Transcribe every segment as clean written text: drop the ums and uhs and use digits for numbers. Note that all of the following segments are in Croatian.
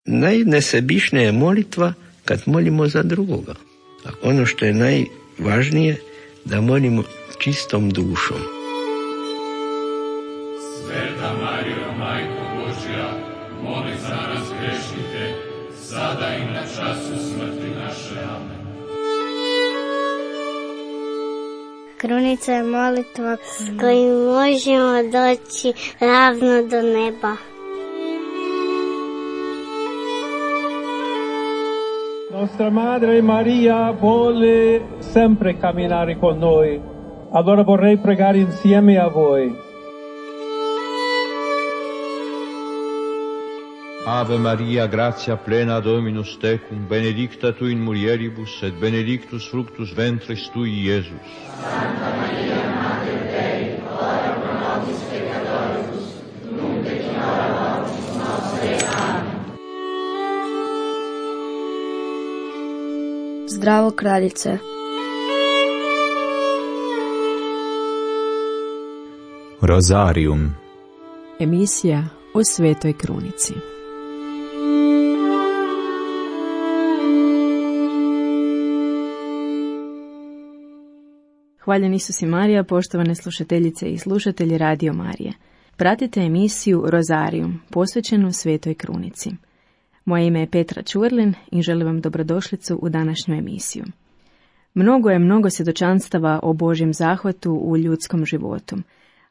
najnesebičnija je molitva kad molimo za drugoga. A ono što je najvažnije, da molimo čistom dušom. Sveta Marijo, Majko Božja, moli za nas grešnike, sada i na času smrti naše. Amen. Krunica je molitva s kojim možemo doći ravno do neba. Nostra Madre Maria vuole sempre camminare con noi. Allora vorrei pregare insieme a voi. Ave Maria, gratia plena Dominus tecum, benedicta tu in mulieribus, et benedictus fructus ventris tui, Iesus. Santa Maria, Mater Dei, ora pro nobis peccatoribus, nunc et in hora mortis nostre. Amen. Zdravo kraljice. Rozarium. Emisija o Svetoj Krunici. Hvaljen Isus i Marija, poštovane slušateljice i slušatelji Radio Marije. Pratite emisiju Rozarium, posvećenu Svetoj Krunici. Moje ime je Petra Čurlin i želim vam dobrodošlicu u današnju emisiju. Mnogo svjedočanstava o Božjem zahvatu u ljudskom životu.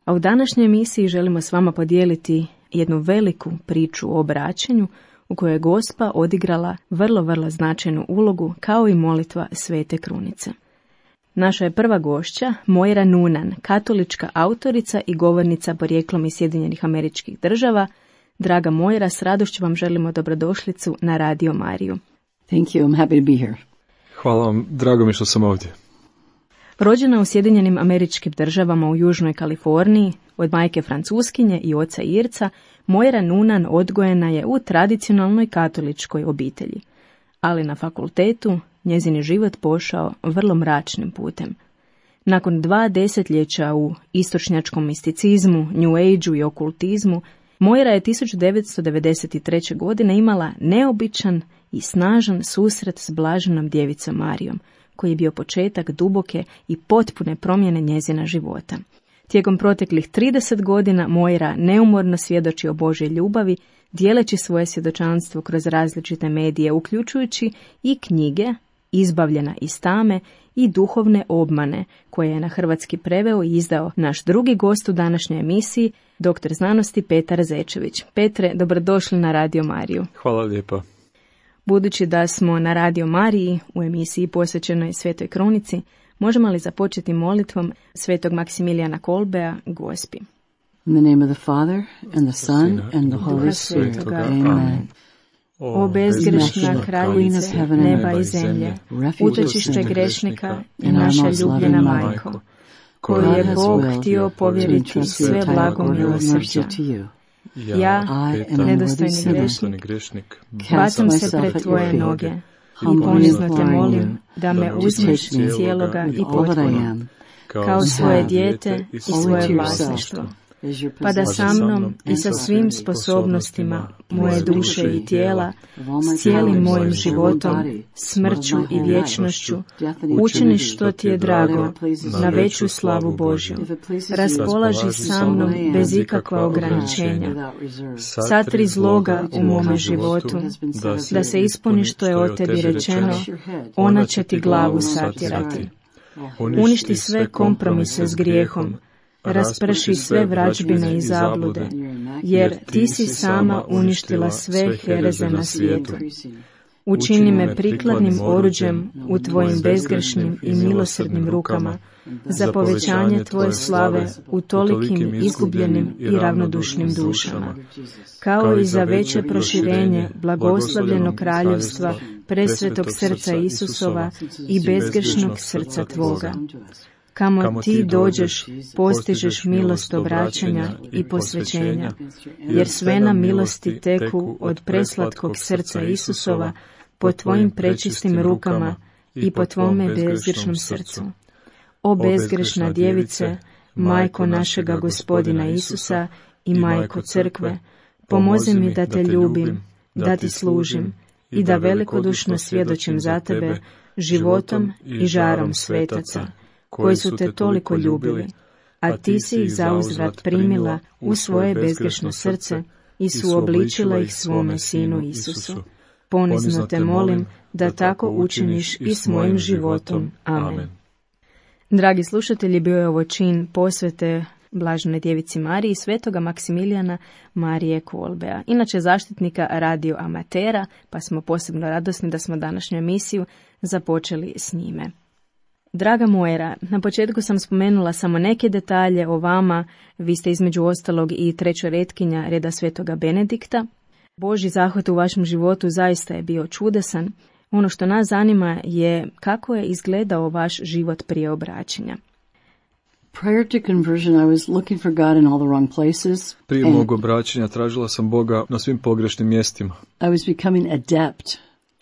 A u današnjoj emisiji želimo s vama podijeliti jednu veliku priču o obraćanju u kojoj je Gospa odigrala vrlo značajnu ulogu kao i molitva Svete Krunice. Naša je prva gošća Moira Noonan, katolička autorica i govornica porijeklom iz Sjedinjenih Američkih Država. Draga Moira, s radošću vam želimo dobrodošlicu na Radio Mariju. Thank you, I'm happy to be here. Hvala vam, drago mi što sam ovdje. Rođena u Sjedinjenim Američkim Državama u Južnoj Kaliforniji, od majke Francuskinje i oca Irca, Moira Noonan odgojena je u tradicionalnoj katoličkoj obitelji. Ali na fakultetu njezin je život pošao vrlo mračnim putem. Nakon 2 desetljeća u istočnjačkom misticizmu, New Ageu i okultizmu, Moira je 1993. godine imala neobičan i snažan susret s blaženom djevicom Marijom, koji je bio početak duboke i potpune promjene njezina života. Tijekom proteklih 30 godina Moira neumorno svjedoči o Božjoj ljubavi, dijeleći svoje svjedočanstvo kroz različite medije, uključujući i knjige Izbavljena iz tame i Duhovne obmane, koje je na hrvatski preveo i izdao naš drugi gost u današnjoj emisiji, doktor znanosti Petar Zečević. Petre, dobrodošli na Radio Mariju. Hvala lijepa. Budući da smo na Radio Mariji u emisiji posvećenoj Svetoj Krunici, možemo li započeti molitvom Svetog Maksimilijana Kolbea, Gospi? In the name of the Father, and the Son, and the Holy Spirit. Amen. O bezgrešna kraljice neba i zemlje, utočište grešnika i naša ljubljena majko, koju je Bog htio povjeriti sve blago milosrđa. Ja, nedostojni grešnik, bacam se pred tvoje noge i ponizno te molim da me uzmeš cijeloga i potpuno, kao svoje dijete i svoje vlasništvo, pa da sa mnom i sa svim sposobnostima moje duše i tijela, s cijelim mojim životom, smrću i vječnošću, učiniš što ti je drago, na veću slavu Božju. Raspolaži sa mnom bez ikakva ograničenja. Satri zloga u mome životu, da se ispuni što je o tebi rečeno, ona će ti glavu satirati. Uništi sve kompromise s grijehom, rasprši sve vražbine i zablude, jer ti si sama uništila sve hereze na svijetu. Učini me prikladnim oruđem u tvojim bezgrešnim i milosrdnim rukama za povećanje tvoje slave u tolikim izgubljenim i ravnodušnim dušama, kao i za veće proširenje blagoslavljenog kraljevstva presvetog srca Isusova i bezgrešnog srca tvoga. Kamo ti dođeš, postižeš milost obraćanja i posvećenja, jer sve nam milosti teku od preslatkog srca Isusova po tvojim prečistim rukama i po tvome bezgrešnom srcu. O bezgrešna djevice, majko našega Gospodina Isusa i majko crkve, pomozi mi da te ljubim, da ti služim i da velikodušno svjedočim za tebe životom i žarom svetaca, koji su te toliko ljubili, a ti si ih zauzvrat primila u svoje bezgrešno srce i suobličila ih svome Sinu Isusu. Ponizno te molim da tako učiniš i s mojim životom. Amen. Dragi slušatelji, bio je ovo čin posvete Blaženoj Djevici Mariji i svetoga Maksimilijana Marije Kolbea, inače zaštitnika radio amatera, pa smo posebno radosni da smo današnju emisiju započeli s njime. Draga Moira, na početku sam spomenula samo neke detalje o vama. Vi ste između ostalog i trećoretkinja reda svetoga Benedikta. Božji zahvat u vašem životu zaista je bio čudesan. Ono što nas zanima je kako je izgledao vaš život prije obraćanja. Prior to conversion, I was looking for God in all the wrong places. Prije mog obraćanja tražila sam Boga na svim pogrešnim mjestima. I was becoming adept,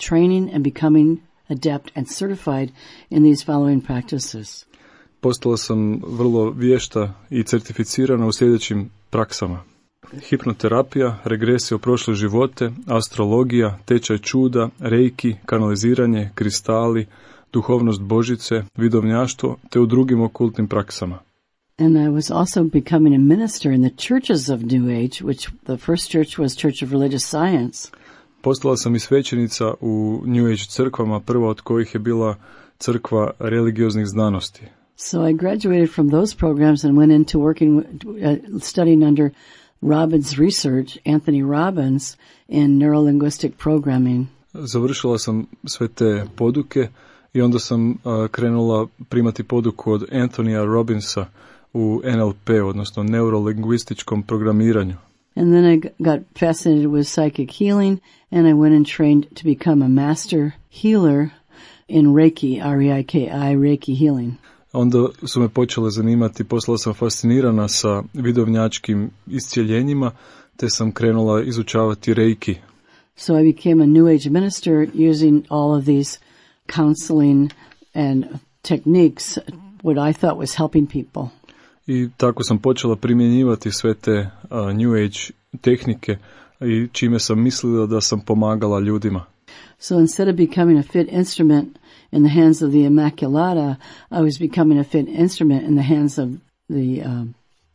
training and becoming adept and certified in these following practices. Postala sam vrlo vješta i certificirana u sljedećim praksama: hipnoterapija, regresija u prošle živote, astrologija, tečaj čuda, reiki, kanaliziranje, kristali, duhovnost Božice, vidovnjaštvo, te u drugim okultnim praksama. And I was also becoming a minister in the churches of New Age, which the first church was Church of Religious Science. Postala sam i svećenica u New Age crkvama, prva od kojih je bila crkva religioznih znanosti. So I graduated from those programs and went into working, studying under Robbins research, Anthony Robbins, in neurolinguistic programming. Završila sam sve te poduke i onda sam krenula primati poduku od Anthonyja Robbinsa u NLP, odnosno neurolingvističkom programiranju. And then I got fascinated with psychic healing, and I went and trained to become a master healer in Reiki, R-E-I-K-I, Reiki healing. Onda su me počele zanimati, postala sam fascinirana sa vidovnjačkim iscijeljenjima, te sam krenula izučavati Reiki. So I became a New Age minister using all of these counseling and techniques, what I thought was helping people. I tako sam počela primjenjivati sve te New Age tehnike i čime sam mislila da sam pomagala ljudima. So instead of becoming a fit instrument in the hands of the Immaculata, I was becoming a fit instrument in the hands of the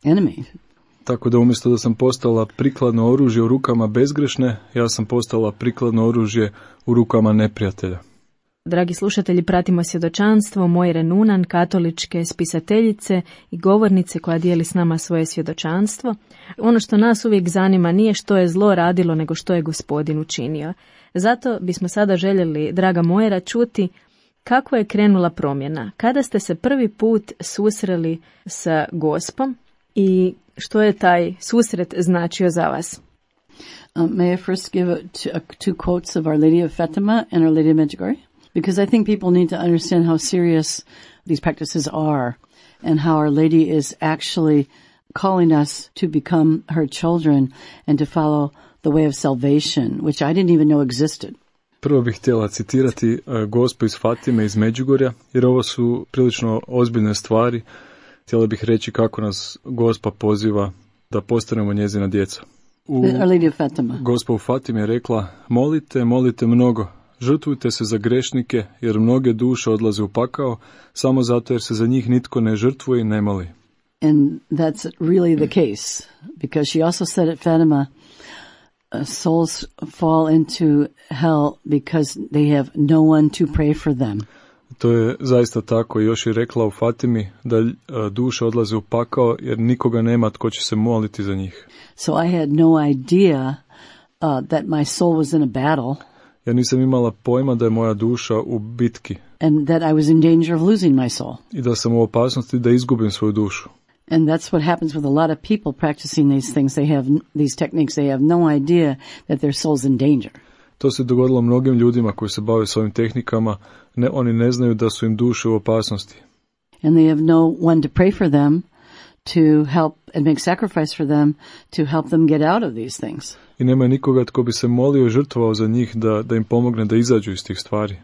enemy. Tako da umjesto da sam postala prikladno oružje u rukama bezgrešne, ja sam postala prikladno oružje u rukama neprijatelja. Dragi slušatelji, pratimo svjedočanstvo Moire Nunan, katoličke spisateljice i govornice koja dijeli s nama svoje svjedočanstvo. Ono što nas uvijek zanima nije što je zlo radilo, nego što je Gospodin učinio. Zato bismo sada željeli, draga Moira, čuti kako je krenula promjena. Kada ste se prvi put susreli sa Gospom i što je taj susret značio za vas? May I first give two quotes of Our Lady of Fatima and Our Lady of Medjugorje? Because I think people need to understand how serious these practices are and how Our Lady is actually calling us to become her children and to follow the way of salvation, which I didn't even know existed. Prvo bih htjela citirati Gospu iz Fatime iz Međugorja, jer ovo su prilično ozbiljne stvari. Htjela bih reći kako nas Gospa poziva da postanemo njezina djeca. Our Lady of Fatima. Gospa u Fatimi je rekla: molite, molite mnogo, žrtvujte se za grešnike, jer mnoge duše odlaze u pakao, samo zato jer se za njih nitko ne žrtvuje i ne moli. And that's really the case, because she also said at Fatima, souls fall into hell because they have no one to pray for them. To je zaista tako. Još je rekla u Fatimi da duše odlaze u pakao jer nikoga nema tko će se moliti za njih. So I had no idea that my soul was in a battle. Ja nisam imala pojma da je moja duša u bitki. And that I was in danger of losing my soul. I da sam u opasnosti da izgubim svoju dušu. And that's what happens with a lot of people practicing these things. They have these techniques. They have no idea that their soul's in danger. To se dogodilo mnogim ljudima koji se bave s ovim tehnikama. Oni ne znaju da su im duše u opasnosti. And they have no one to pray for them, to help and make sacrifice for them, to help them get out of these things. I nema nikoga tko bi se molio i žrtvovao za njih da im pomogne da izađu iz tih stvari.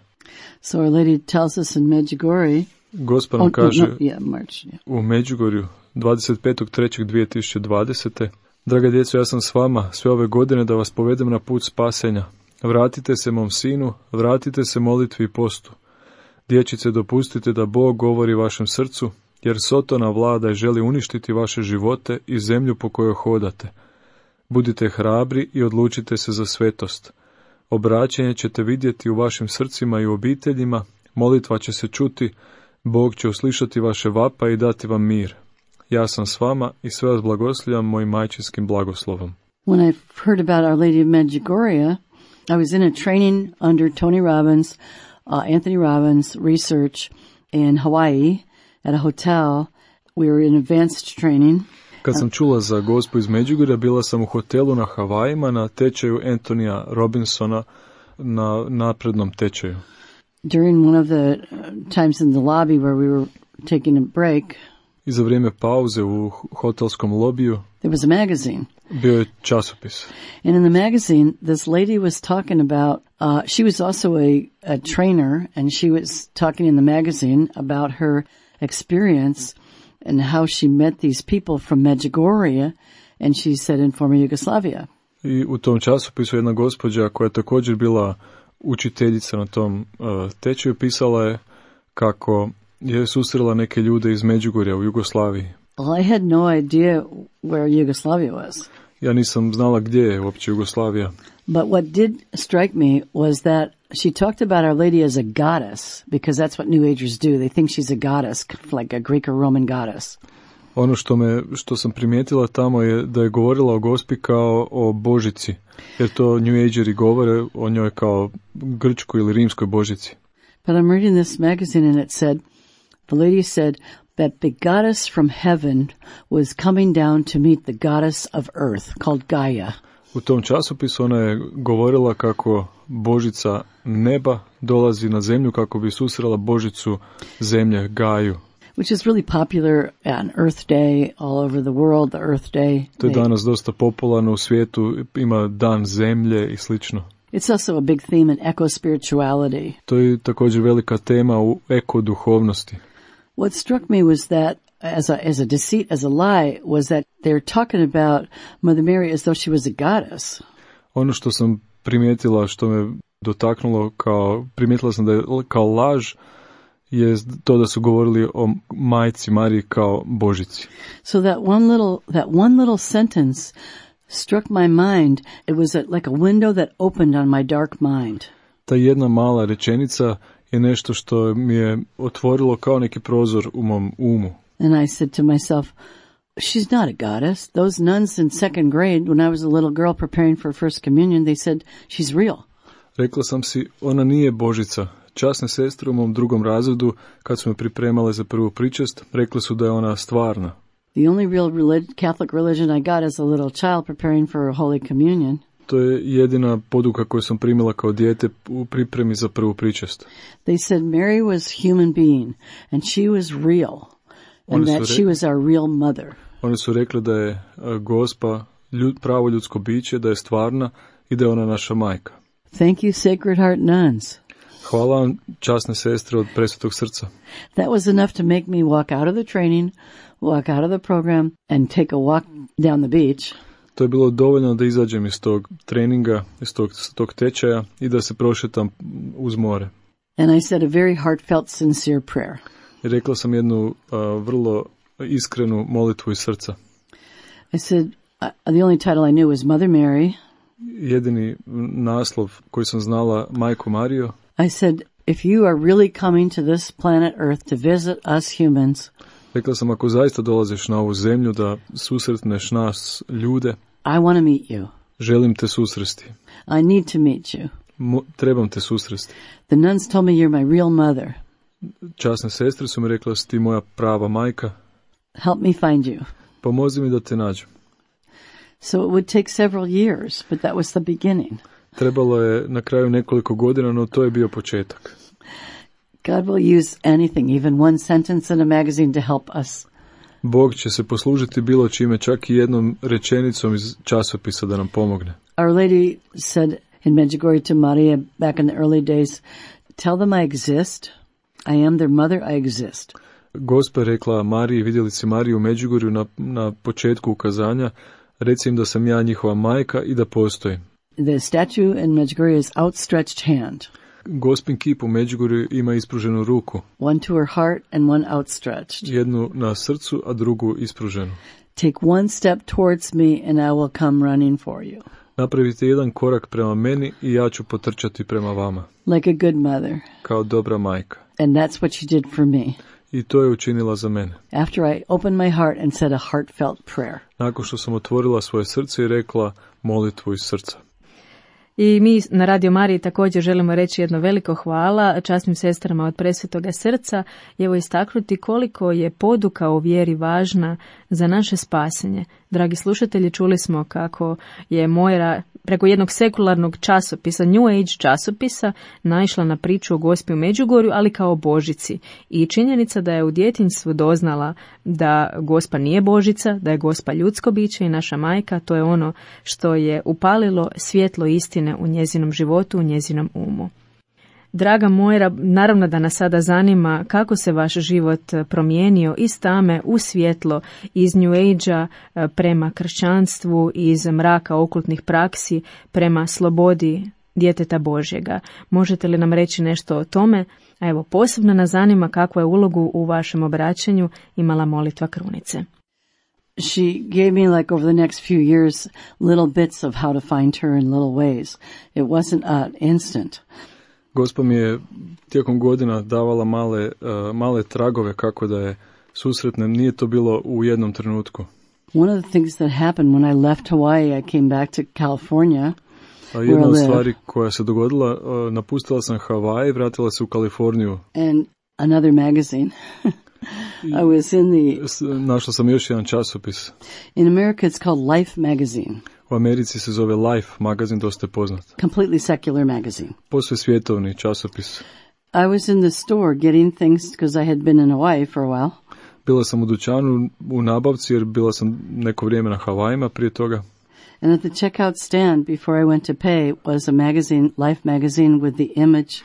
So Our Lady tells us in Medjugorje, Gospa nam kaže March, u Međugorju 25.3.2020. Draga djeco, ja sam s vama sve ove godine da vas povedem na put spasenja. Vratite se mom sinu, vratite se molitvi i postu. Dječice, dopustite da Bog govori vašem srcu, jer Sotona vlada i želi uništiti vaše živote i zemlju po kojoj hodate. Budite hrabri i odlučite se za svetost. Obraćenje ćete vidjeti u vašim srcima i u obiteljima, molitva će se čuti, Bog će uslišati vaše vapa i dati vam mir. Ja sam s vama i sve vas blagoslovljam mojim majčinskim blagoslovom. When I heard about Our Lady of Medjugorje, I was in a training under Tony Robbins, Anthony Robbins research in Hawaii at a hotel. We were in advanced training. Kad sam čula za Gospu iz Međugorja, bila sam u hotelu na Havajima na tečaju Antonija Robinsona, na naprednom tečaju. During one of the times in the lobby where we were taking a break, i za vrijeme pauze u hotelskom lobiju there was a magazine. Bio je časopis. And in the magazine, this lady was talking about, she was also a trainer, and she was talking in the magazine about her experience and how she met these people from Medjugorje, and she said in former Yugoslavia. I u tom časopisu jedna gospođa koja je također bila učiteljica na tom tečaju pisala je kako je susrela neke ljude iz Međugorja u Jugoslaviji. Well, I had no idea where Yugoslavia was. Ja nisam znala gdje je uopće Jugoslavija. But what did strike me was that she talked about Our Lady as a goddess, because that's what New Agers do. They think she's a goddess, like a Greek or Roman goddess. Ono što sam primijetila tamo je da je govorila o Gospi kao o božici, jer to New Ageri govore o njoj kao grčkoj ili rimskoj božici. But I'm reading this magazine and it said, the lady said that the goddess from heaven was coming down to meet the goddess of earth, called Gaia. U tom časopisu ona je govorila kako božica neba dolazi na zemlju kako bi susrela božicu zemlje, Gaju. Which is really popular on Earth Day all over the world, the Earth Day. To je danas dosta popularno u svijetu, ima dan zemlje i slično. It's also a big theme in eco-spirituality. To je također velika tema u eko-duhovnosti. What struck me was that, as a deceit, as a lie, was that they're talking about Mother Mary as though she was a goddess. Ono što sam primijetila, što me dotaknulo primijetila sam da je kao laž, je to da su govorili o majci Mariji kao božici. So that one little sentence struck my mind. It was like a window that opened on my dark mind. Ta jedna mala rečenica je nešto što mi je otvorilo kao neki prozor u mom umu. And I said to myself, she's not a goddess. Those nuns in second grade, when I was a little girl preparing for first communion, they said, she's real. Rekla sam si, ona nije božica. Časne sestre u mom drugom razredu, kad su me pripremale za prvu pričest, rekli su da je ona stvarna. The only real Catholic religion I got as a little child preparing for Holy Communion. To je jedina poduka koju sam primila kao dijete u pripremi za prvu pričest. They said Mary was human being and she was real and that she was our real mother. Oni su rekli da je Gospa pravo ljudsko biće, da je stvarna i da je ona naša majka. Thank you, Sacred Heart nuns. Hvala vam, časne sestre od Presvetog srca. That was enough to make me walk out of the training, walk out of the program and take a walk down the beach. To je bilo dovoljno da izađem iz tog treninga, iz tog tečaja i da se prošetam uz more. And I said a very heartfelt, sincere prayer. I rekla sam jednu vrlo iskrenu molitvu iz srca. I said, the only title I knew was Mother Mary. Jedini naslov koji sam znala, Majko Marijo. I said, if you are really coming to this planet Earth to visit us humans, rekla sam, ako zaista dolaziš na ovu zemlju da susretneš nas ljude, I want to meet you. Želim te susresti. I need to meet you. Trebam te susresti. The nuns told me you're my real mother. Časne sestre su mi rekle da si ti moja prava majka. Help me find you. Pomozi mi da te nađem. So it would take several years, but that was the beginning. Trebalo je na kraju nekoliko godina, no to je bio početak. God will use anything, even one sentence in a magazine to help us. Bog će se poslužiti bilo čime, čak i jednom rečenicom iz časopisa da nam pomogne. Our Lady said in Medjugorje to Maria back in the early days, tell them I exist, I am their mother, I exist. Gospa je rekla Mariji, vidjelici Mariju u Međugorju na početku ukazanja, Reci im da sam ja njihova majka i da postojim. The statue in Medjugorje is outstretched hand. Gospin kip u Međugorju ima ispruženu ruku. One to her heart and one outstretched. Jednu na srcu, a drugu ispruženu. Take one step towards me and I will come running for you. Napravite jedan korak prema meni i ja ću potrčati prema vama. Like a good mother. Kao dobra majka. And that's what she did for me. I to je učinila za mene. After I opened my heart and said a heartfelt prayer. Nakon što sam otvorila svoje srce i rekla molitvu iz srca. I mi na Radio Mariji također želimo reći jedno veliko hvala časnim sestrama od Presvetoga srca i evo istaknuti koliko je poduka o vjeri važna za naše spasenje. Dragi slušatelji, čuli smo kako je Mojra preko jednog sekularnog časopisa, New Age časopisa, naišla na priču o Gospi u Međugorju, ali kao Božici. I činjenica da je u djetinjstvu doznala da Gospa nije Božica, da je Gospa ljudsko biće i naša majka, to je ono što je upalilo svjetlo istine u njezinom životu, u njezinom umu. Draga Mojra, naravno da nas sada zanima kako se vaš život promijenio iz tame u svjetlo, iz New Age-a prema kršćanstvu, iz mraka okultnih praksi prema slobodi djeteta Božjega. Možete li nam reći nešto o tome? A evo, posebno nas zanima kakvu je ulogu u vašem obraćanju imala molitva krunice. She gave me, like, over the next few years, little bits of how to find her in little ways. It wasn't instant. Gospa mi je tijekom godina davala male tragove kako da je susretnem. Nije to bilo u jednom trenutku. One of the things that happened when I left Hawaii, I came back to California. Jedna od stvari koja se dogodila, napustila sam Hawaii, vratila se u Kaliforniju. And another magazine. I was in našla sam još jedan časopis. In America it's called Life magazine. U Americi se zove Life magazin, dosta je poznat. Completely secular magazine. Posve svjetovni časopis. I was in the store getting things because I had been in Hawaii for a while. Bila sam u dućanu u nabavci jer bila sam neko vrijeme na Havajima prije toga. And at the checkout stand before I went to pay was a magazine, Life magazine, with the image,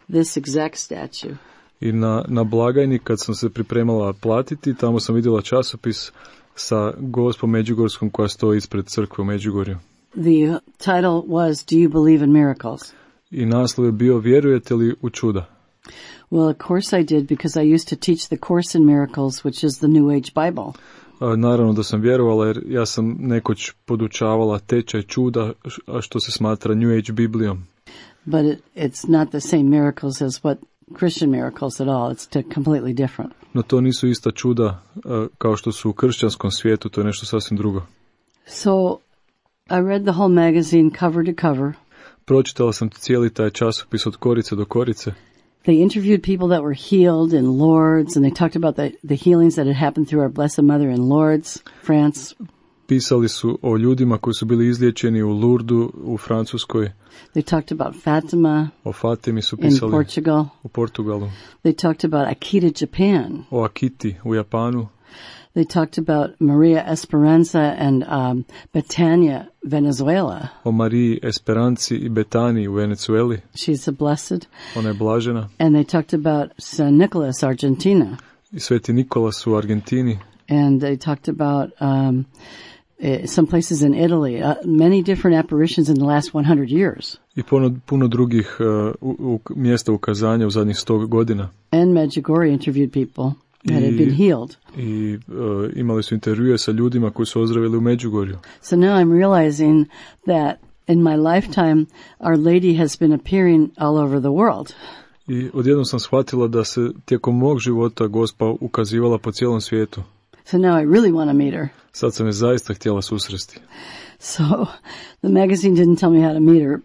this exact statue. I na blagajni kad sam se pripremala platiti, tamo sam vidjela časopis sa Gospom Međugorskom koja stoji ispred crkve u Međugorju. The title was Do you believe in miracles? I naslov je bio Vjerujete li u čuda? Well, of course I did because I used to teach the Course in Miracles, which is the New Age Bible. Naravno da sam vjerovala jer ja sam nekoć podučavala tečaj čuda, a što se smatra New Age Biblijom. But it's not the same miracles as what Christian miracles at all. It's completely different. No to nisu ista čuda kao što su u kršćanskom svijetu, to je nešto sasvim drugo. So I read the whole magazine cover to cover. Pročitala sam cijeli taj časopis od korice do korice. They interviewed people that were healed in Lourdes, and they talked about the healings that had happened through our Blessed Mother in Lourdes, France. Pisali su o ljudima koji su bili izliječeni u Lourdu u Francuskoj. They talked about Fatima. O Fatimi su pisali. In Portugal. U Portugalu. They talked about Akita, Japan. O Akiti u Japanu. They talked about Maria Esperanza and Betania, Venezuela. O Mariji Esperanci i Betaniji u Venezueli. She's a blessed. Ona je blažena. And they talked about San Nicolas, Argentina. I Sveti Nikolas u Argentini. And they talked about some places in Italy, many different apparitions in the last 100 years. I puno drugih mjesta ukazanja u zadnjih 100 godina. And Medjugorje interviewed people that had been healed. I imali su intervjue sa ljudima koji su ozdravili u Međugorju. So now I'm realizing that in my lifetime Our Lady has been appearing all over the world. I odjednom sam shvatila da se tijekom mog života Gospa ukazivala po cijelom svijetu. So now I really want to meet her. Sad sam je zaista htjela susresti. So the magazine didn't tell me how to meet her,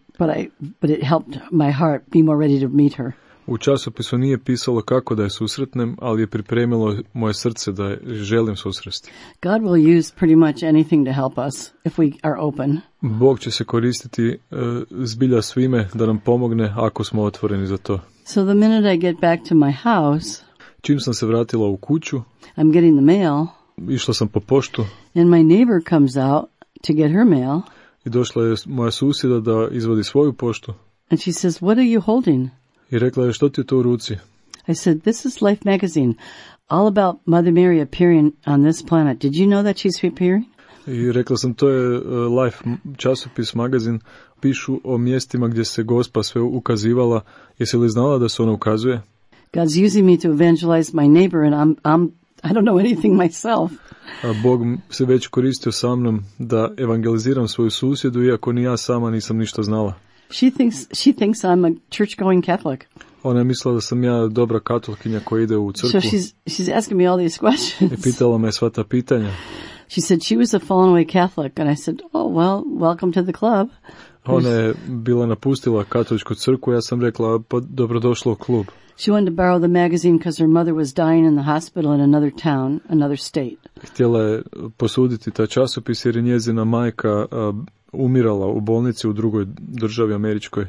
but it helped my heart be more ready to meet her. U časopisu nije pisalo kako da je susretnem, ali je pripremilo moje srce da je želim susresti. God will use pretty much anything to help us if we are open. Bog će se koristiti zbilja svime da nam pomogne ako smo otvoreni za to. So the minute I get back to my house, čim sam se vratila u kuću, I'm getting the mail. Išla sam po poštu. And my neighbor comes out to get her mail. I došla je moja susjeda da izvadi svoju poštu. And she says, "What are you holding?" I rekla je, što ti je to u ruci? I said, "This is Life magazine, all about Mother Mary appearing on this planet. Did you know that she's appearing?" I rekla sam, to je Life časopis, magazin, pišu o mjestima gdje se Gospa sve ukazivala. Jesi li znala da se ona ukazuje? God's using me to evangelize my neighbor and I don't know anything myself. A Bog se već koristio sa mnom da evangeliziram svoju susjedu, iako ni ja sama nisam ništa znala. She thinks I'm a church-going Catholic. Ona je mislila da sam ja dobra katolkinja koja ide u crkvu. So she's asking me all these questions. I pitala me sva ta pitanja. She said she was a fallen away Catholic, and I said, oh, well, welcome to the club. Ona je bila napustila katoličku crkvu, ja sam rekla, pa dobrodošla u klub. She wanted to borrow the magazine because her mother was dying in the hospital in another town, another state. Htjela je posuditi taj časopis jer je njezina majka umirala u bolnici u drugoj državi američkoj.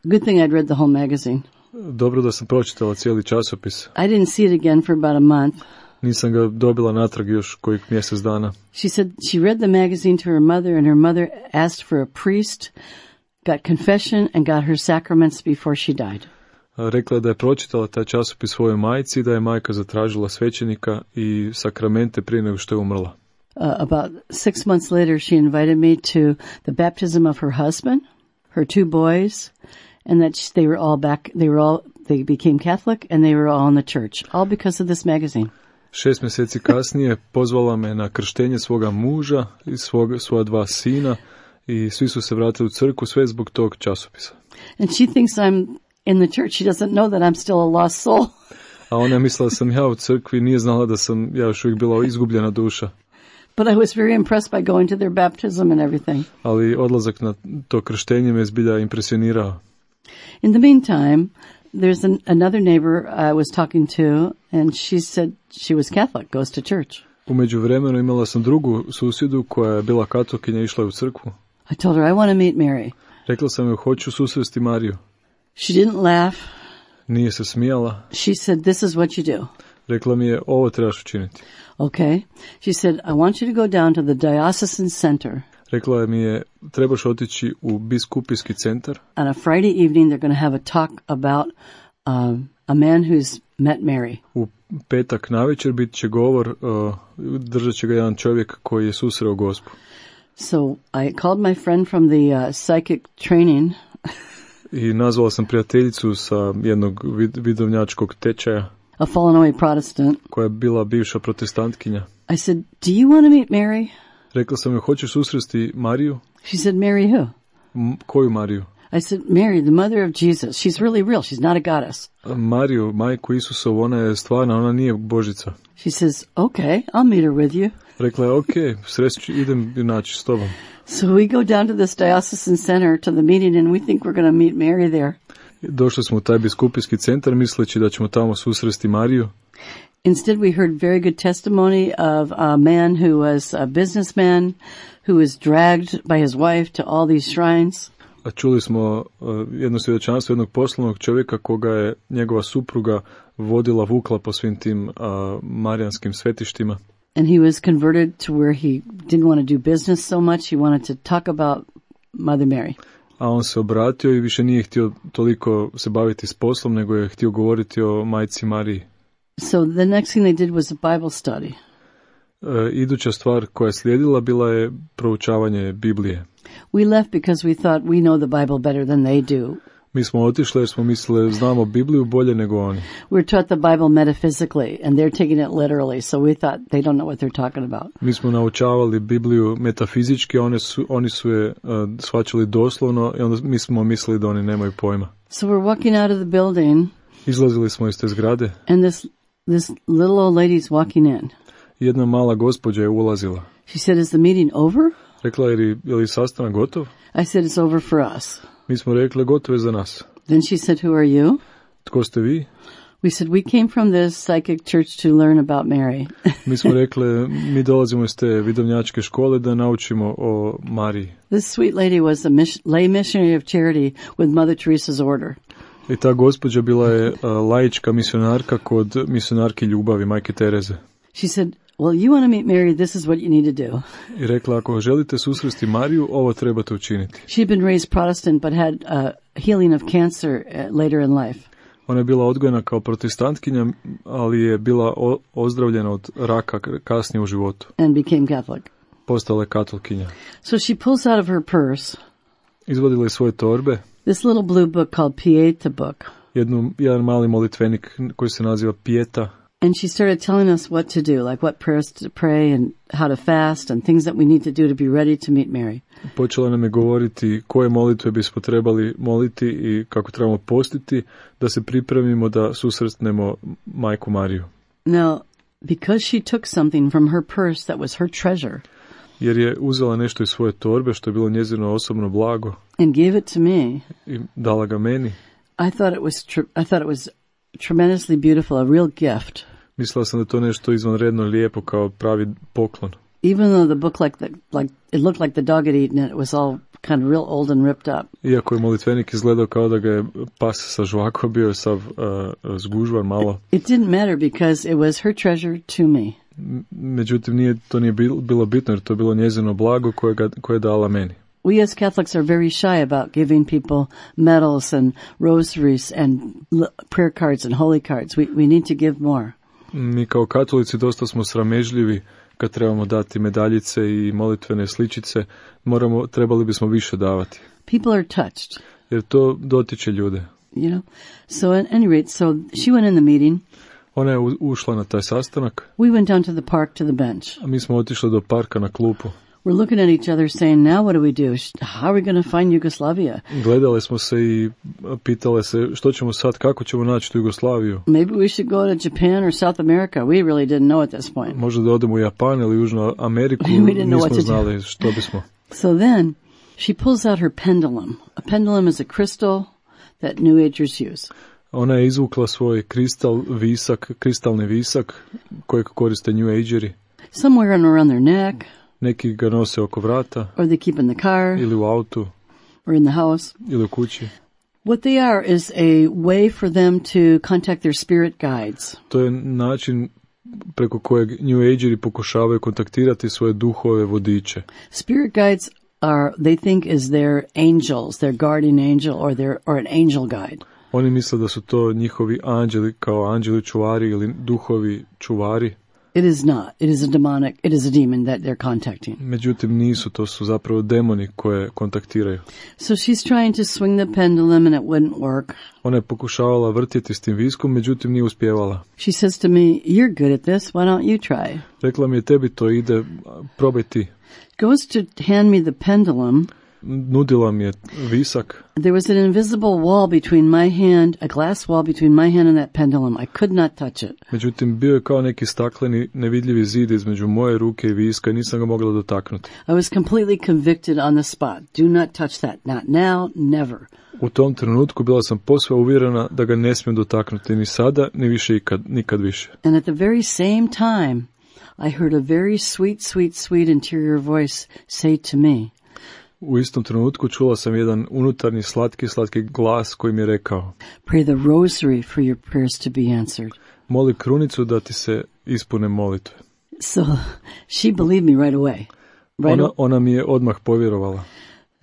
Good thing I'd read the whole magazine. Dobro da sam pročitala cijeli časopis. I didn't see it again for about a month. Nisam ga dobila natrag još kojih mjesec dana. She said she read the magazine to her mother and her mother asked for a priest, got confession and got her sacraments before she died. Rekla je da je pročitala taj časopis svojoj majci, da je majka zatražila svećenika i sakramente prije nego što je umrla. About 6 months later, she invited me to the baptism of her husband, her 2 boys, and that they were all back. They became Catholic, and they were all in the church, all because of this magazine. 6 mjeseci kasnije pozvala me na krštenje svoga muža i svoja 2 sina i svi su se vratili u crkvu, sve zbog tog časopisa. And she thinks I'm in the church. She doesn't know that I'm still a lost soul. A ona je mislila da sam ja u crkvi, nije znala da sam ja još uvijek bila izgubljena duša. But I was very impressed by going to their baptism and everything. Ali odlazak na to krštenje me zbilja impresionirao. In the meantime, there's another neighbor I was talking to, and she said she was Catholic, goes to church. U međuvremenu imala sam drugu susjedu koja je bila katolkinja i išla u crkvu. I told her I want to meet Mary. Rekla sam joj, hoću susresti Mariju. She didn't laugh. Nije se smijala. She said, this is what you do. Rekla mi je, ovo trebaš učiniti. Okay. She said, I want you to go down to the diocesan center. Rekla mi je, trebaš otići u biskupijski centar. On a Friday evening, they're going to have a talk about a man who's met Mary. U petak navečer bit će govor, držat će ga jedan čovjek koji je susreo Gospu. So I called my friend from the psychic training. I nazvala sam prijateljicu sa jednog vidovnjačkog tečaja. A fallen away Protestant. Koja je bila bivša protestantkinja. I said, do you want to meet Mary? Rekla sam joj, hoćeš susresti Mariju? She said, Mary who? Koju Mariju? I said, Mary, the mother of Jesus. She's really real. She's not a goddess. Mariju, majku Isusovu, ona je stvarna, ona nije božica. She says, okay, I'll meet her with you. Rekla je, okay, sreću, idem naći s tobom. So we go down to this diocesan center to the meeting and we think we're going to meet Mary there. Došli smo u taj biskupijski centar misleći da ćemo tamo susresti Mariju. Instead, we heard very good testimony of a man who was a businessman who was dragged by his wife to all these shrines. A čuli smo jedno svjedočanstvo jednog poslovnog čovjeka koga je njegova supruga vukla po svim tim marijanskim svetištima. And he was converted to where he didn't want to do business so much. He wanted to talk about Mother Mary. A on se obratio i više nije htio toliko se baviti s poslom, nego je htio govoriti o majci Mariji. So the next thing they did was a Bible study. Iduća stvar koja je slijedila bila je proučavanje Biblije. We left because we thought we know the Bible better than they do. Mi smo otišli jer smo mislili znamo Bibliju bolje nego oni. We're taught the Bible metaphysically and they're taking it literally, so we thought they don't know what they're talking about. Mi smo naučavali Bibliju metafizički, oni su je shvaćali doslovno i onda mi smo mislili da oni nemaju pojma. So we're walking out of the building. Izlazili smo iz te zgrade. And this little old lady's walking in. Jedna mala gospođa je ulazila. She said, is the meeting over? Rekla je li sastanak gotov? I said, it's over for us. Mi smo rekli, gotovo je za nas. Then she said, who are you? Tko ste vi? We said, we came from this psychic church to learn about Mary. Mi smo rekli, mi dolazimo iz te vidovnjačke škole da naučimo o Mariji. This sweet lady was a lay missionary of charity with Mother Teresa's order. I ta gospođa bila je laička misionarka kod misionarki ljubavi, majke Tereze. She said, well, you want to meet Mary, this is what you need to do. I rekla, ako želite susresti Mariju, ovo trebate učiniti. She'd been raised Protestant, but had healing of cancer later in life. Ona je bila odgojena kao protestantkinja, ali je bila ozdravljena od raka kasnije u životu. And became Catholic. postala je katolkinja. So she pulls out of her purse Izvadila je svoje torbe, this little blue book called Pieta book. jedan mali molitvenik koji se naziva Pieta. And she started telling us what to do, like what prayers to pray and how to fast and things that we need to do to be ready to meet Mary. Počela nam je govoriti koje molitve bismo trebali moliti i kako trebamo postiti da se pripremimo da susretnemo Majku Mariju. Now, because she took something from her purse that was her treasure, Jer je uzela nešto iz svoje torbe što je bilo njezino osobno blago and gave it to me, i dala ga meni. I thought it was tremendously beautiful, a real gift. Mislila sam da je to nešto izvanredno lijepo kao pravi poklon. Even though the book it looked like the dog had eaten it, it was all kind of real old and ripped up. Iako je molitvenik izgledao kao da ga je pas sa žvako, bio je sav zgužvan malo. It didn't matter because it was her treasure to me. Međutim, to nije bilo bitno jer to je bilo njezino blago koje je dala meni. We as Catholics are very shy about giving people medals and rosaries and prayer cards and holy cards. We need to give more. Mi kao katolici dosta smo sramežljivi kad trebamo dati medaljice i molitvene sličice. Trebali bismo više davati. People are touched. Jer to dotiče ljude. You know? So at any rate, so she went in the meeting. Ona je ušla na taj sastanak. We went down to the park to the bench. A mi smo otišli do parka na klupu. We're looking at each other saying, now what do we do? How are we going to find Yugoslavia? Gledale smo se i pitale se što ćemo sad, kako ćemo naći tu Jugoslaviju. Maybe we should go to Japan or South America. We really didn't know at this point. Možda da odemo u Japan ili Južnu Ameriku, nismo znali što bismo. So then she pulls out her pendulum. A pendulum is a crystal that New Agers use. Ona je izvukla svoj kristalni visak kojeg koriste New Ageri. Some wear them around their neck. Neki ga nose oko vrata. Or they keep in the car. Ili u autu. Or in the house. Ili u kući. What they are is a way for them to contact their spirit guides. To je način preko kojeg New Ageri pokušavaju kontaktirati svoje duhove vodiče. Spirit guides they think is their angels, their guardian angel or an angel guide. Oni misle da su to njihovi anđeli kao anđeli čuvari ili duhovi čuvari. It is not. It is a demon that they're contacting. Međutim, nisu, to su zapravo demoni koje kontaktiraju. So she's trying to swing the pendulum and it wouldn't work. Ona je pokušavala vrtjeti s tim viskom, međutim nije uspjevala. She says to me, you're good at this, why don't you try? Rekla mi je, tebi to ide, probaj ti. Goes to hand me the pendulum. Nudila mi je visak. There was an invisible wall between my hand, a glass wall between my hand and that pendulum. I could not touch it. Međutim, bio je kao neki stakleni, nevidljivi zid između moje ruke i viska i nisam ga mogla dotaknuti. I was completely convicted on the spot. Do not touch that. Not now, never. U tom trenutku bila sam posve uvjerena da ga ne smijem dotaknuti ni sada, ni više nikad više. And at the very same time, I heard a very sweet interior voice say to me, u istom trenutku čula sam jedan unutarnji slatki glas koji mi je rekao: Pray the rosary for your prayers to be answered. Moli krunicu da ti se ispune molitve. So she believed me right away. Ona mi je odmah povjerovala.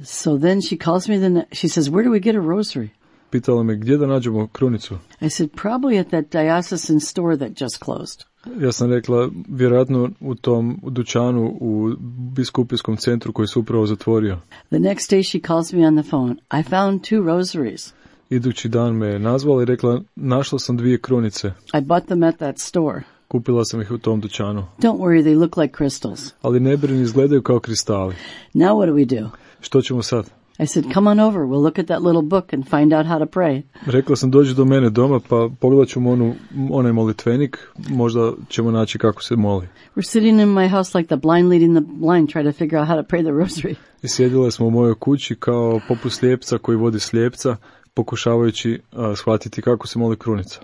So then she calls me she says, where do we get a rosary? Pitala me gdje da nađemo krunicu. I said, probably at that diocesan store that just closed. Ja sam rekla, vjerojatno u tom dućanu u biskupijskom centru koji se upravo zatvorio. The next day she calls me on the phone. I found 2 rosaries. Idući dan me je nazvala i rekla, našla sam 2 krunice. I bought them at that store. Kupila sam ih u tom dućanu. Don't worry, they look like crystals. Ali ne brini, izgledaju kao kristali. Now what do we do? Što ćemo sad? I said, come on over, we'll look at that little book and find out how to pray. Rekla sam, dođi do mene doma, pa pogledat ćemo onaj molitvenik, možda ćemo naći kako se moli. We're sitting in my house like the blind leading the blind, trying to figure out how to pray the rosary. I sjedile smo u mojoj kući kao poput slijepca koji vodi slijepca, pokušavajući shvatiti kako se moli krunica.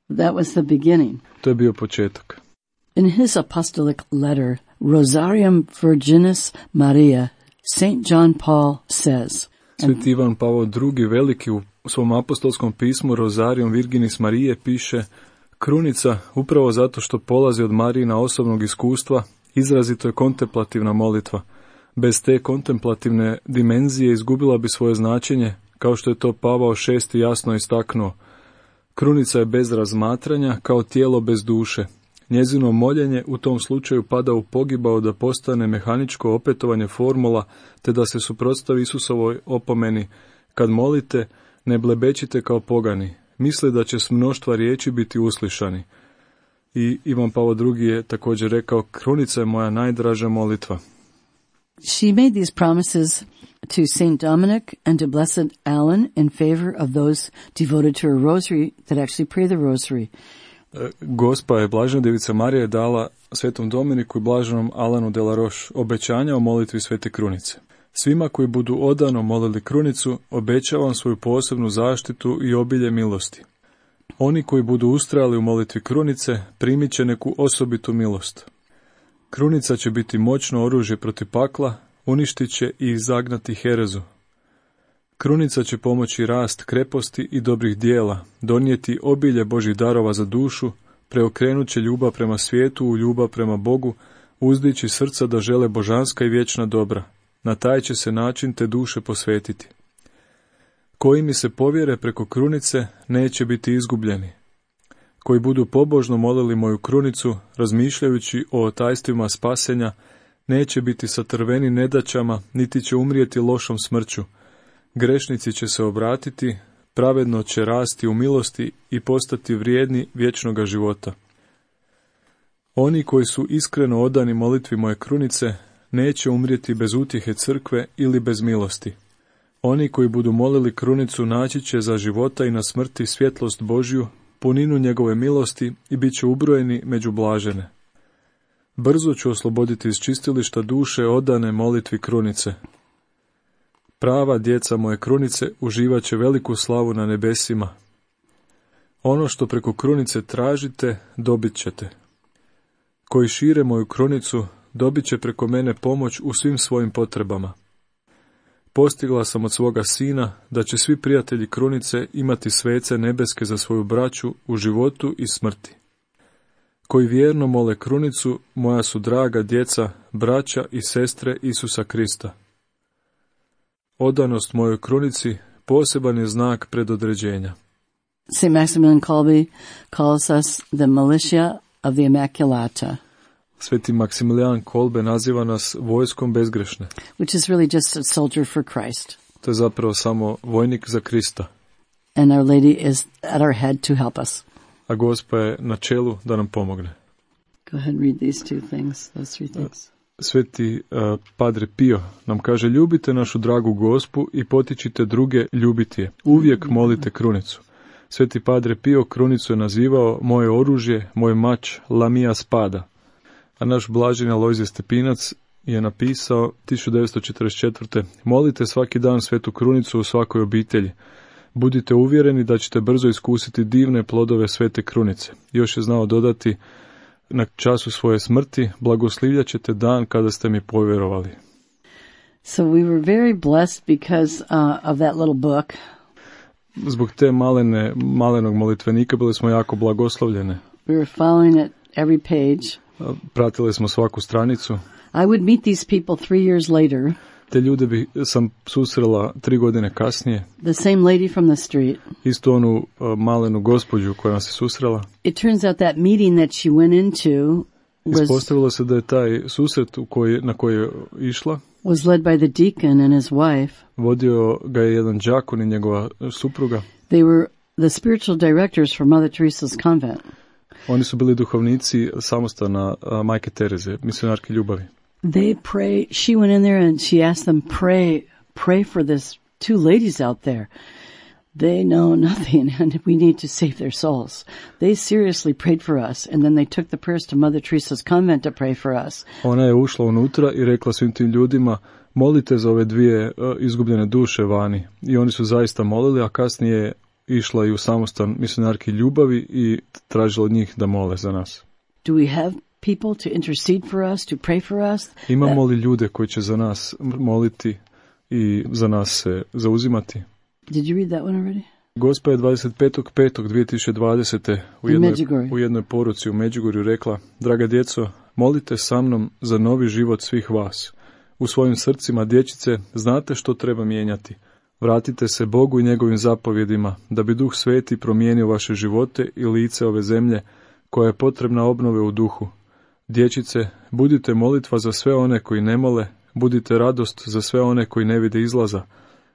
That was the beginning. To je bio početak. In his apostolic letter, Rosarium Virginis Maria, St. John Paul says, Sveti Ivan Pavao II. Veliki u svom apostolskom pismu Rosarium Virginis Marije piše: Krunica, upravo zato što polazi od Marijina osobnog iskustva, izrazito je kontemplativna molitva. Bez te kontemplativne dimenzije izgubila bi svoje značenje, kao što je to Pavao VI. Jasno istaknuo. Krunica je bez razmatranja, kao tijelo bez duše. Njezino moljenje u tom slučaju pada u pogibao da postane mehaničko opetovanje formula, te da se suprotstavi Isusovoj opomeni: kad molite, ne blebećite kao pogani, misle da će s mnoštva riječi biti uslišani. I Ivan Pavao II je također rekao: krunica je moja najdraža molitva. She made these promises to Saint Dominic and to Blessed Alan in favor of those devoted to her rosary that actually pray the rosary. Gospa je, Blažena Djevica Marija, je dala Svetom Dominiku i Blaženom Alanu de la Roche obećanja o molitvi Svete Krunice. Svima koji budu odano molili krunicu, obećavam svoju posebnu zaštitu i obilje milosti. Oni koji budu ustrajali u molitvi krunice, primit će neku osobitu milost. Krunica će biti moćno oružje protiv pakla, uništit će i izagnati herezu. Krunica će pomoći rast kreposti i dobrih dijela, donijeti obilje Božjih darova za dušu, preokrenut će ljubav prema svijetu u ljubav prema Bogu, uzdići srca da žele božanska i vječna dobra. Na taj će se način te duše posvetiti. Koji mi se povjere preko krunice, neće biti izgubljeni. Koji budu pobožno molili moju krunicu, razmišljajući o tajstvima spasenja, neće biti satrveni nedaćama, niti će umrijeti lošom smrću. Grešnici će se obratiti, pravedno će rasti u milosti i postati vrijedni vječnoga života. Oni koji su iskreno odani molitvi moje krunice, neće umrijeti bez utjehe crkve ili bez milosti. Oni koji budu molili krunicu naći će za života i na smrti svjetlost Božju, puninu njegove milosti i bit će ubrojeni među blažene. Brzo ću osloboditi iz čistilišta duše odane molitvi krunice. Prava djeca moje krunice uživat će veliku slavu na nebesima. Ono što preko krunice tražite, dobit ćete. Koji šire moju krunicu, dobit će preko mene pomoć u svim svojim potrebama. Postigla sam od svoga sina da će svi prijatelji krunice imati svece nebeske za svoju braću u životu i smrti. Koji vjerno mole krunicu, moja su draga djeca, braća i sestre Isusa Krista. Odanost mojoj krunici poseban je znak predodređenja. St. Maximilian Kolbe calls us the militia of the Immaculata. Sveti Maksimilijan Kolbe naziva nas vojskom bezgrešne. Which is really just a soldier for Christ. To je zapravo samo vojnik za Krista. And Our Lady is at our head to help us. A Gospa je na čelu da nam pomogne. Go ahead and read these three things. Sveti Padre Pio nam kaže: ljubite našu dragu Gospu i potičite druge ljubiti je. Uvijek molite krunicu. Sveti Padre Pio krunicu je nazivao moje oružje, moj mač, la mia spada. A naš blaženi Alojzije Stepinac je napisao 1944. molite svaki dan svetu krunicu u svakoj obitelji. Budite uvjereni da ćete brzo iskusiti divne plodove svete krunice. Još je znao dodati: na času svoje smrti blagoslivljat ćete dan kada ste mi povjerovali. So we were very blessed because of that little book. Zbog te malenog molitvenika bili smo jako blagoslovljene. We were following it every page. Pratili smo svaku stranicu. I would meet these people 3 years later. Te ljude sam susrela 3 godine kasnije. The same lady from the street. Isto onu malenu gospođu koja nas je susrela. It turns out that meeting that she went into ispostavilo se da je taj susret na koji je išla was led by the deacon and his wife. Vodio ga je jedan đakon i njegova supruga. They were the spiritual directors for Mother Teresa's convent. Oni su bili duhovnici samostana Majke Tereze, misionarke ljubavi. They pray. She went in there and she asked them, pray for this 2 ladies out there. They know nothing and we need to save their souls. They seriously prayed for us and then they took the prayers to Mother Teresa's convent to pray for us. Ona je ušla unutra i rekla svim tim ljudima: molite za ove 2 izgubljene duše vani. I oni su zaista molili, a kasnije je išla i u samostan misionarki ljubavi i tražila od njih da mole za nas. Do we have people to intercede for us, to pray for us? Imamo li ljude koji će za nas moliti i za nas se zauzimati? Did you read that one already? Gospa je 25.5.2020. u jednoj poruci u Međugorju rekla: draga djeco, molite sa mnom za novi život svih vas. U svojim srcima, dječice, znate što treba mijenjati. Vratite se Bogu i njegovim zapovjedima, da bi Duh Sveti promijenio vaše živote i lice ove zemlje, koja je potrebna obnove u duhu. Dječice, budite molitva za sve one koji ne mole, budite radost za sve one koji ne vide izlaza,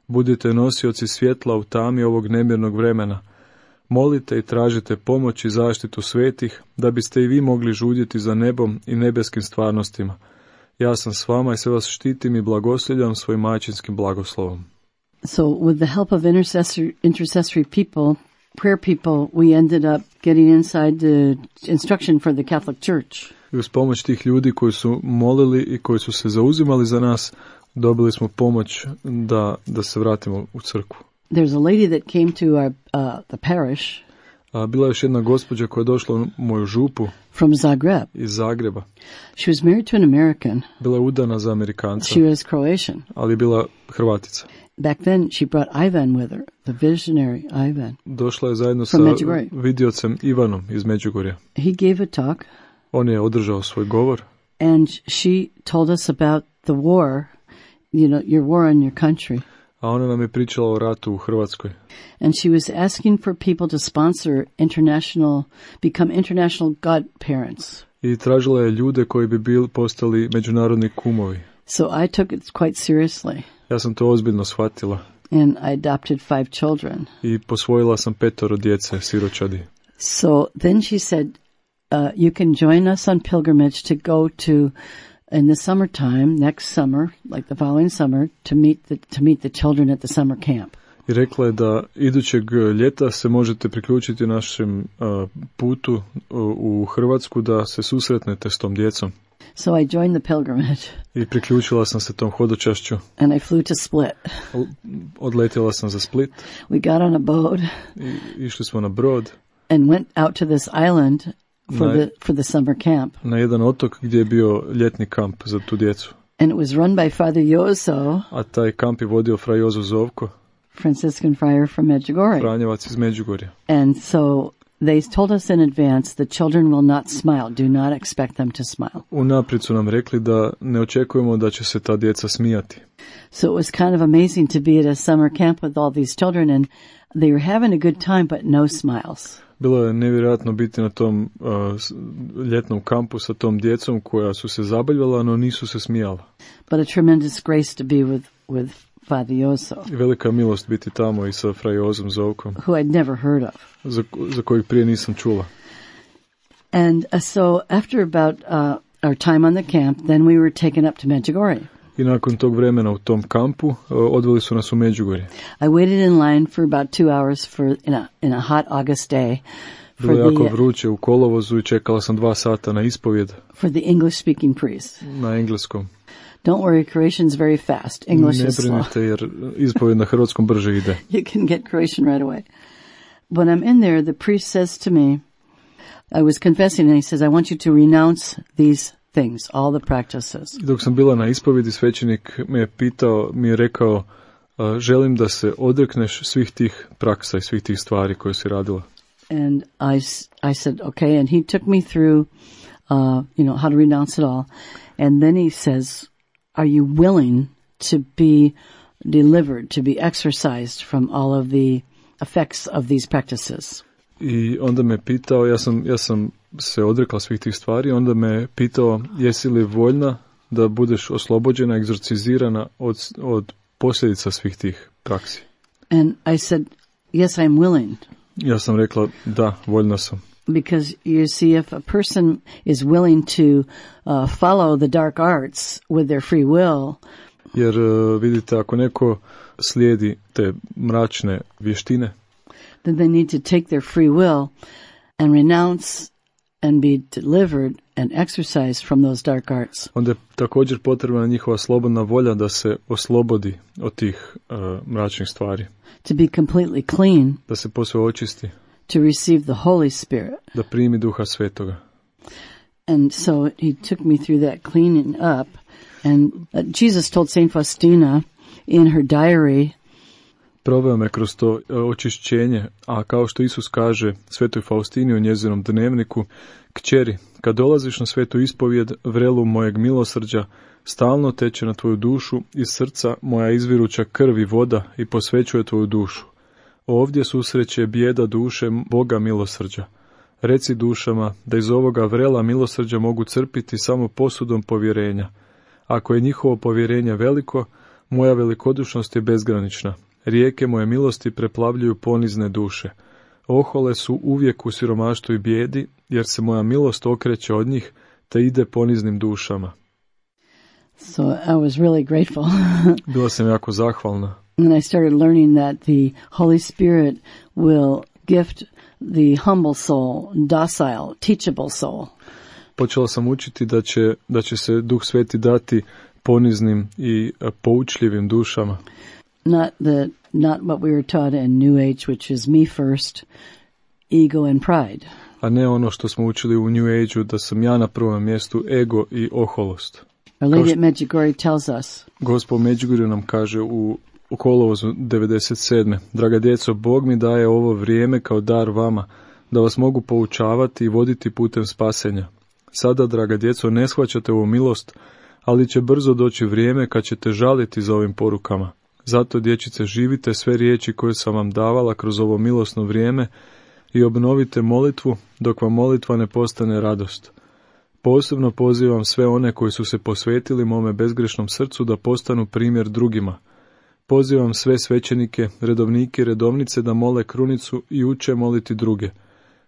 budite nosioci svjetla u tami ovog nemirnog vremena. Molite i tražite pomoć i zaštitu svetih, da biste i vi mogli žudjeti za nebom i nebeskim stvarnostima. Ja sam s vama i sve vas štitim i blagosljivljam svojim majčinskim blagoslovom. So with the help of intercessory people, prayer people, we ended up getting inside the instruction for the Catholic Church. I uz pomoć tih ljudi koji su molili i koji su se zauzimali za nas, dobili smo pomoć da se vratimo u crkvu. There's a lady that came to our the parish. Bila je još jedna gospođa koja je došla u moju župu. From Zagreb. Iz Zagreba. She was married to an American. Bila je udana za Amerikanca. She was Croatian. Ali je bila Hrvatica. Back then she brought Ivan with her, the visionary Ivan. Došla je zajedno sa vidiocem Ivanom iz Međugorja. He gave a talk. On je održao svoj govor. And she told us about the war, your war on your country. A ona nam je pričala o ratu u Hrvatskoj. And she was asking for people to sponsor become international godparents. I tražila je ljude koji bi postali međunarodni kumovi. So I took it quite seriously. Ja sam to ozbiljno shvatila. And I adopted 5 children. I posvojila sam 5 djece, siročadi. So then she said, you can join us on pilgrimage to go to in the summertime, next summer, like the following summer, to meet the children at the summer camp. I rekla je da idućeg ljeta se možete priključiti našem putu u Hrvatsku da se susretnete s tom djecom. So I joined the pilgrimage. I priključila sam se tom hodočašću. And I flew to Split. Odletjela sam za Split. We got on a boat. I išli smo na brod. And went out to this island for the summer camp. Na jedan otok gdje je bio ljetni kamp za tu djecu. And it was run by Father Jozo. A taj kamp je vodio fra Jozo Zovko. Franciscan friar from Medjugorje. Franjevac iz Međugorja. And so they told us in advance the children will not smile. Do not expect them to smile. Unaprijed su nam rekli da ne očekujemo da će se ta djeca smijati. So it was kind of amazing to be at a summer camp with all these children and they were having a good time but no smiles. Bilo je nevjerojatno biti na tom ljetnom kampu sa tom djecom koja su se zabavljala, no nisu se smijala. But a tremendous grace to be with Father Jozo. I velika milost biti tamo i sa Fra Jozom Zovkom. Who I'd never heard of. Za kojeg prije nisam čula. And so after about our time on the camp, then we were taken up to Medjugorje. I nakon tog vremena u tom kampu odveli su nas u Međugorje. I waited in line for about 2 hours in a hot August day. Bilo je jako vruće u kolovozu i čekala sam 2 sata na ispovjed. For the English speaking priest. Na engleskom. Don't worry, Croatian's very fast. English is slow. Ne brinite jer ispovjed na hrvatskom brže ide. You can get Croatian right away. When I'm in there, the priest says to me, I was confessing and he says, I want you to renounce these things, all the practices. Dok sam bila na ispovjedi, svećenik mi je rekao, želim da se odrekneš svih tih praksa i svih tih stvari koje si radila. And I said, okay, and he took me through, how to renounce it all. And then he says, are you willing to be delivered, to be exorcised from all of the effects of these practices? I onda me pitao, ja sam se odrekla svih tih stvari, onda me pitao jesi li voljna da budeš oslobođena, egzorcizirana od posljedica svih tih praksi. And I said, yes, I'm willing. Ja sam rekla, da, voljna sam. Because you see, if a person is willing to follow the dark arts with their free will, jer vidite, ako neko slijedi te mračne vještine, then they need to take their free will and renounce and be delivered and exorcised from those dark arts. Onda je također potrebna njihova slobodna volja da se oslobodi od tih mračnih stvari. To be completely clean. Da se posve očisti. To receive the Holy Spirit. Da primi Duha Svetoga. And so he took me through that cleaning up. And Jesus told Saint Faustina in her diary, proveo me kroz to očišćenje, a kao što Isus kaže Svetoj Faustini u njezinom dnevniku, kćeri, kad dolaziš na svetu ispovjed, vrelu mojeg milosrđa, stalno teče na tvoju dušu, iz srca moja izviruća krv i voda i posvećuje tvoju dušu. Ovdje susreće bijeda duše Boga milosrđa. Reci dušama da iz ovoga vrela milosrđa mogu crpiti samo posudom povjerenja. Ako je njihovo povjerenje veliko, moja velikodušnost je bezgranična. Rijeke moje milosti preplavljuju ponizne duše. Ohole su uvijek u siromaštvu i bijedi, jer se moja milost okreće od njih, te ide poniznim dušama. So I was really grateful. Bila sam jako zahvalna. And I started learning that the Holy Spirit will gift the humble soul, docile, teachable soul. Počela sam učiti da će se Duh Sveti dati poniznim i poučljivim dušama. Not what we were taught in New Age, which is me first, ego and pride. A ne ono što smo učili u New Age-u, da sam ja na prvom mjestu, ego i oholost. Our Lady at Medjugorje tells us. Gospod Medjugorje nam kaže u kolovozu 97. Draga djeco, Bog mi daje ovo vrijeme kao dar vama, da vas mogu poučavati i voditi putem spasenja. Sada, draga djeco, ne shvaćate ovu milost, ali će brzo doći vrijeme kad ćete žaliti za ovim porukama. Zato, dječice, živite sve riječi koje sam vam davala kroz ovo milosno vrijeme i obnovite molitvu dok vam molitva ne postane radost. Posebno pozivam sve one koji su se posvetili mome bezgrešnom srcu da postanu primjer drugima. Pozivam sve svećenike, redovnike i redovnice da mole krunicu i uče moliti druge.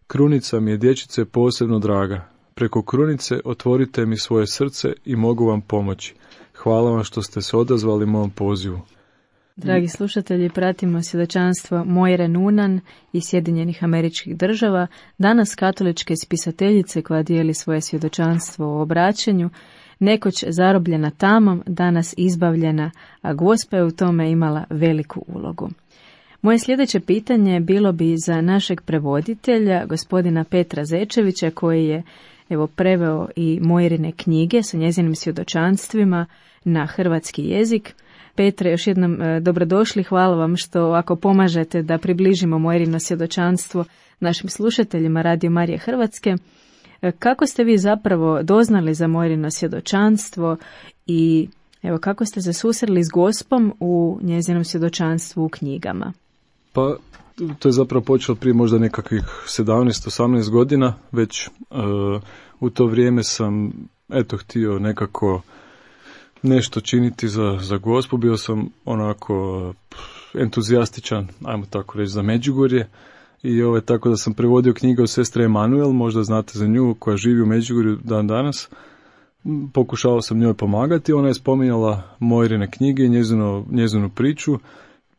Krunica mi je, dječice, posebno draga. Preko krunice otvorite mi svoje srce i mogu vam pomoći. Hvala vam što ste se odazvali mom pozivu. Dragi slušatelji, pratimo svjedočanstvo Moire Nunan iz Sjedinjenih Američkih Država, danas katoličke spisateljice koja dijeli svoje svjedočanstvo o obraćanju, nekoć zarobljena tamom, danas izbavljena, a Gospa je u tome imala veliku ulogu. Moje sljedeće pitanje bilo bi za našeg prevoditelja, gospodina Petra Zečevića, koji je preveo i Moirine knjige sa njezinim svjedočanstvima na hrvatski jezik. Petre, još jednom dobrodošli, hvala vam što ako pomažete da približimo Moirino svjedočanstvo našim slušateljima Radio Marije Hrvatske. Kako ste vi zapravo doznali za Moirino svjedočanstvo i kako ste se susreli s Gospom u njezinom svjedočanstvu u knjigama? Pa, to je zapravo počelo prije možda nekakvih 17-18 godina, već u to vrijeme sam htio nekako nešto činiti za Gospu, bio sam onako entuzijastičan, ajmo tako reći, za Međugorje i tako da sam prevodio knjige od sestre Emanuel, možda znate za nju, koja živi u Međugorju dan danas. Pokušao sam njoj pomagati, ona je spominjala Moirine knjige i njezinu priču,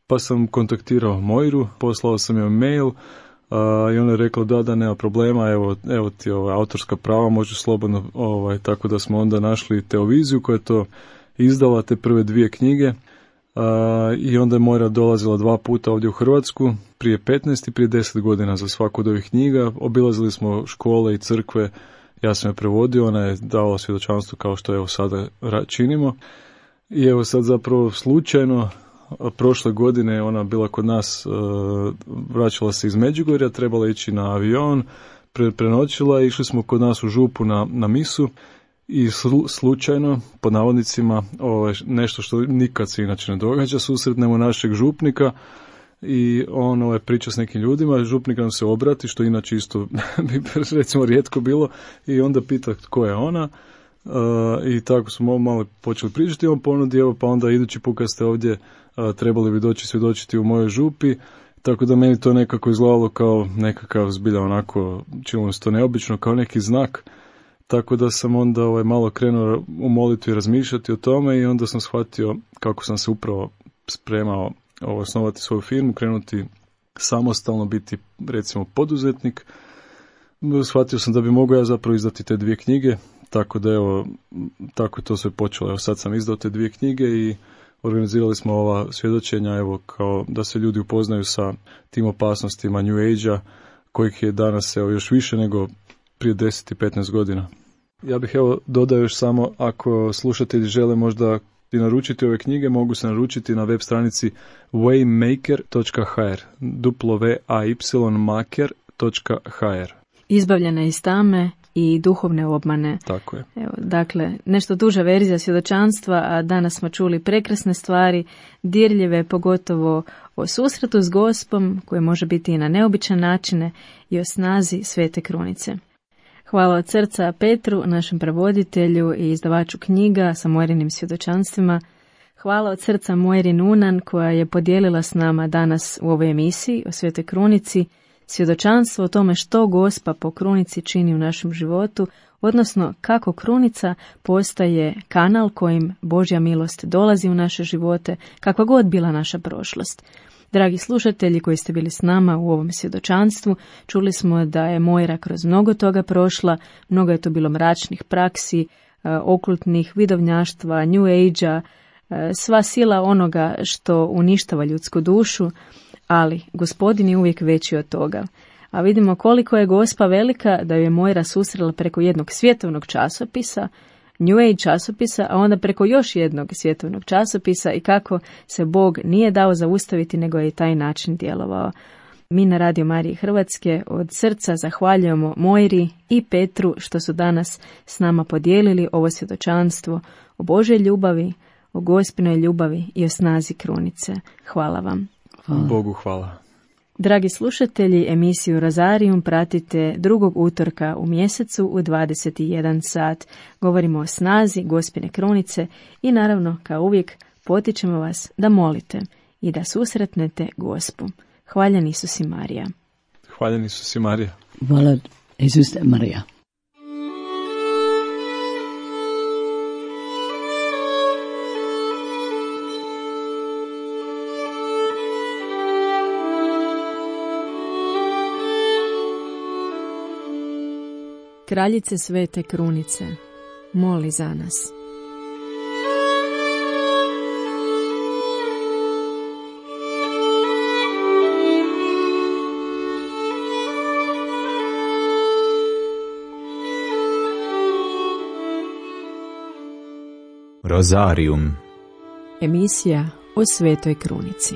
pa sam kontaktirao Moiru, poslao sam joj mail i ona je rekla da nema problema, evo ti autorska prava, možeš slobodno, tako da smo onda našli Teoviziju koja je to izdala, te prve 2 knjige, i onda je Moira dolazila 2 puta ovdje u Hrvatsku, prije 15 i prije 10 godina za svaku od ovih knjiga. Obilazili smo škole i crkve, ja sam je prevodio, ona je davala svjedočanstvo kao što sada činimo. I sad zapravo slučajno, prošle godine ona bila kod nas, vraćala se iz Međugorja, trebala ići na avion, prenoćila, išli smo kod nas u župu na misu i slučajno, pod navodnicima, nešto što nikad se inače ne događa, susretnemo našeg župnika i on priča s nekim ljudima, župnik nam se obrati, što inače isto bi recimo rijetko bilo, i onda pita tko je ona. I tako smo malo počeli pričati, on ponudi, pa onda idući put kad ste ovdje trebali bi doći svjedočiti u mojoj župi, tako da meni to nekako izgledalo kao nekakav zbilja onako, činilo se to neobično, kao neki znak, tako da sam onda malo krenuo u molitvi razmišljati o tome i onda sam shvatio kako sam se upravo spremao osnovati svoju firmu, krenuti samostalno, biti recimo poduzetnik. Shvatio sam da bi mogao ja zapravo izdati te 2 knjige, tako da tako je to sve počelo. Sad sam izdao te 2 knjige i organizirali smo ova svjedočenja, kao da se ljudi upoznaju sa tim opasnostima New Age-a, kojih je danas još više nego prije 10 i 15 godina. Ja bih dodao još samo, ako slušatelji žele možda i naručiti ove knjige, mogu se naručiti na web stranici waymaker.hr, waymaker.hr. Izbavljena iz tame, i duhovne obmane. Tako je. Evo, dakle, nešto duža verzija svjedočanstva, a danas smo čuli prekrasne stvari, dirljive, pogotovo o susretu s Gospom, koje može biti i na neobičan načine, i o snazi Svete krunice. Hvala od srca Petru, našem prevoditelju i izdavaču knjiga sa Moirinim svjedočanstvima. Hvala od srca Moiri Nunan, koja je podijelila s nama danas u ovoj emisiji o Svetoj krunici svjedočanstvo o tome što Gospa po krunici čini u našem životu, odnosno kako krunica postaje kanal kojim Božja milost dolazi u naše živote, kakva god bila naša prošlost. Dragi slušatelji koji ste bili s nama u ovom svjedočanstvu, čuli smo da je Moira kroz mnogo toga prošla, mnogo je to bilo mračnih praksi, okultnih vidovnjaštva, New Age-a, sva sila onoga što uništava ljudsku dušu, ali Gospodin je uvijek veći od toga. A vidimo koliko je Gospa velika da ju je Moira susrela preko jednog svjetovnog časopisa, New Age časopisa, a onda preko još jednog svjetovnog časopisa i kako se Bog nije dao zaustaviti, nego je i taj način djelovao. Mi na Radio Mariji Hrvatske od srca zahvaljujemo Moiri i Petru što su danas s nama podijelili ovo svjedočanstvo o Božoj ljubavi, o Gospinoj ljubavi i o snazi krunice. Hvala vam. Bogu hvala. Dragi slušatelji, emisiju Rozarium pratite drugog utorka u mjesecu u 21 sat. Govorimo o snazi Gospine krunice i naravno, kao uvijek, potičemo vas da molite i da susretnete Gospu. Hvaljen Isus i Marija. Hvaljen Isus i Marija. Hvala Isus i Marija. Kraljice Svete krunice, moli za nas. Rozarium. Emisija o Svetoj krunici.